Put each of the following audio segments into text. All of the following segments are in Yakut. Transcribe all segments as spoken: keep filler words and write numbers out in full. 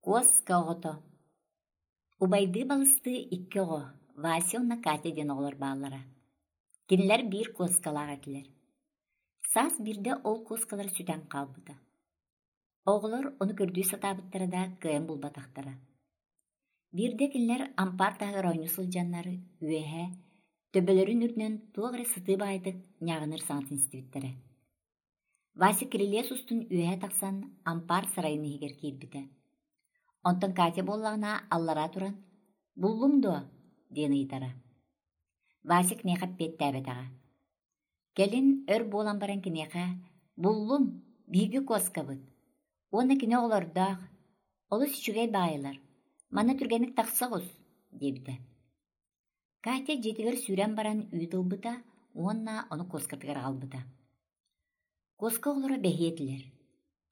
Куоска оҕото Убайдыы-балыстыы икки оҕо, Вася уонна Катя диэн оҕолор бааллара. Кинилэр биир куоскалаах этилэр. Саас биирдэ ол куоскалара сүтэн хаалбыта. Оҕолор ону көрдүү сатаабыттара да кыайан булбатахтара. Биирдэ кинилэр ампаар таһыгар оонньуу сылдьаннар үөһэ төбөлөрүн үрдүнэн туох эрэ сытыы баайдык ньааҕыныыр саҥатын истибиттэрэ. Вася кирилиэс устун үөһэ тахсан ампаар сарайын иһигэр киирбитэ. Онтон Катя буоллаҕына аллараа туран «Буллуҥ дуо?» диэн ыйытара. Вася киниэхэ эппиэттээбэтэҕэ. Кэлин өр буолан баран киниэхэ «Буллум, биһиги куоскабыт уонна кини оҕолордоох, олус үчүгэй баайылар, манна түргэнник тахса оҕус» диэбитэ. Катя дьиэтигэр сүүрэн баран үүт ылбыта уонна ону куоскатыгар аҕалбыта. Куоска оҕолоро бэһиэ этилэр.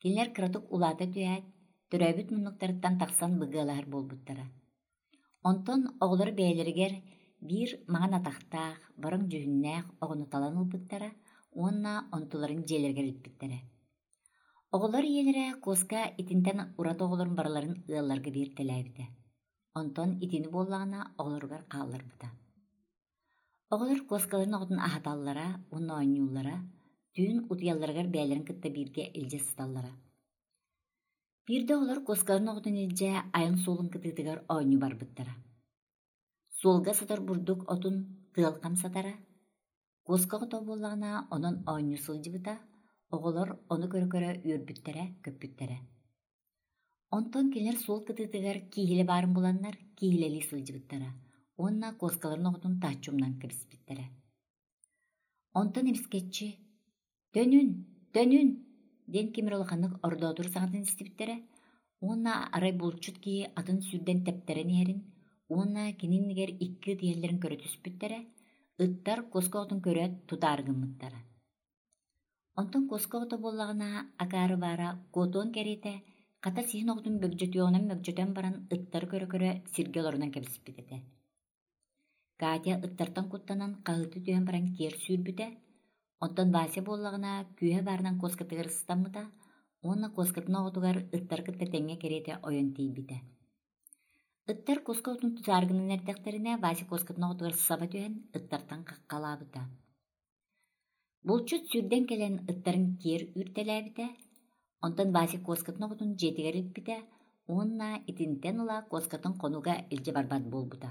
Кинилэр кыратык улаата түһээт, төрөөбүт муннуктарыттан тахсан быгыалаһар буолбуттара. Онтон оҕолор бэйэлэригэр биир маҥан атахтаах, бороҥ дьүһүннээх оҕону талан ылбыттара уонна онтуларын дьиэлэригэр илпиттэрэ. Оҕолор ийэлэрэ куоска итинтэн ураты оҕолорун барыларын ыалларга биэртэлээбитэ. Онтон итини буоллаҕына оҕолоругар хаалларбыта. Оҕолор куоскаларын оҕотун аһаталлара уонна оонньууллара, түүн утуйалларыгар бэйэлэрин кытта бииргэ илдьэ сыталлара. Биирдэ оҕолор куоскаларын оҕотун илдьэ айан суолун кытыытыгар оонньуу барбыттара. Суолга сытар бурдук отун тыал хамсатара, куоска оҕото буоллаҕына онон оонньуу сылдьыбыта, оҕолор ону көрө-көрө үөрбүттэрэ, көппүттэрэ. Онтон кинилэр суол кытыытыгар кииһилэ баарын буланнар кииһилэлии сылдьыбыттара уонна куоскаларын оҕотун таһыччы умнан кэбиспиттэрэ. Онтон эмискэччи «Төнүн, төнүн!» диэн ким эрэ улаханнык ордоотуур саҥатын истибиттэрэ уонна арай булчут киһи атын сүүрдэн тэптэрэн иһэрин уонна кини иннигэр икки ыт иһэллэрин көрө түспүттэрэ, ыттар куоска оҕотун көрөөт тутаары гыммыттара. Онтон куоска оҕото буоллаҕына акаары баара куотуон кэриэтэ хата сиһин оҕотун бөгдьөтүөҕүнэн мөгдьөтөн баран ыттары көрө-көрө сиргэ олорунан кэбиспит этэ. Катя ыттартан куттанан хаһыытыы түһэн баран киэр сүүрбүтэ, онтон Вася буоллаҕына күүһэ баарынан куоскатыгар ыстаммыта уонна куоскатын оҕотугар ыттары кытта тэҥҥэ кэриэтэ ойон тиийбитэ. Ыттар куоска оҕотун тутаары гынан эрдэхтэринэ Вася куоскатын оҕотугар саба түһэн ыттартан хаххалаабыта. Булчут сүүрдэн кэлэн ыттарын киэр үүртэлээбитэ, онтон Вася куоскатын оҕотун дьиэтигэр илпитэ уонна итинтэн ыла куоскатын хонууга илдьэ барбат буолбута.